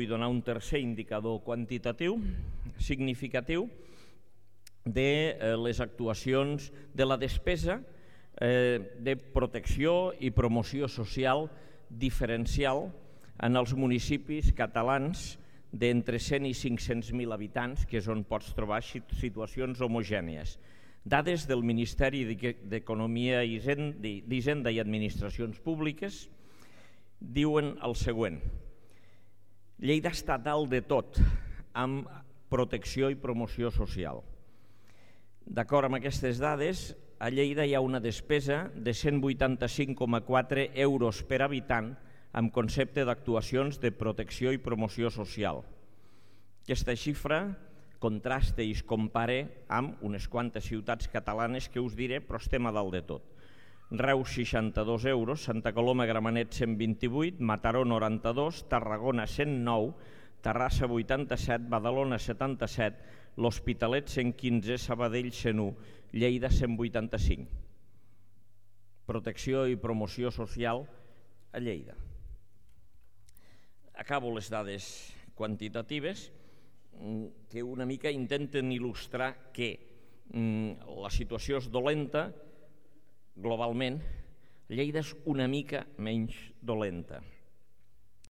donar un tercer indicador quantitatiu significatiu de les actuacions de la despesa de protecció i promoció social diferencial en els municipis catalans d'entre 100 i 500.000 habitants, que és on pots trobar situacions homogènies. Dades del Ministeri d'Economia, d'Hisenda i Administracions Públiques diuen el següent: Lleida està dalt de tot amb protecció i promoció social. D'acord amb aquestes dades, a Lleida hi ha una despesa de 185,4 euros per habitant amb concepte d'actuacions de protecció i promoció social. Aquesta xifra contrasta i es compara amb unes quantes ciutats catalanes que us diré, però estem a dalt de tot. Reus 62 euros, Santa Coloma Gramenet 128, Mataró 92, Tarragona 109, Terrassa 87, Badalona 77, l'Hospitalet 115, Sabadell 101, Lleida 185. Protecció i promoció social a Lleida. Acabo les dades quantitatives que una mica intenten il·lustrar que la situació és dolenta globalment. Lleida és una mica menys dolenta.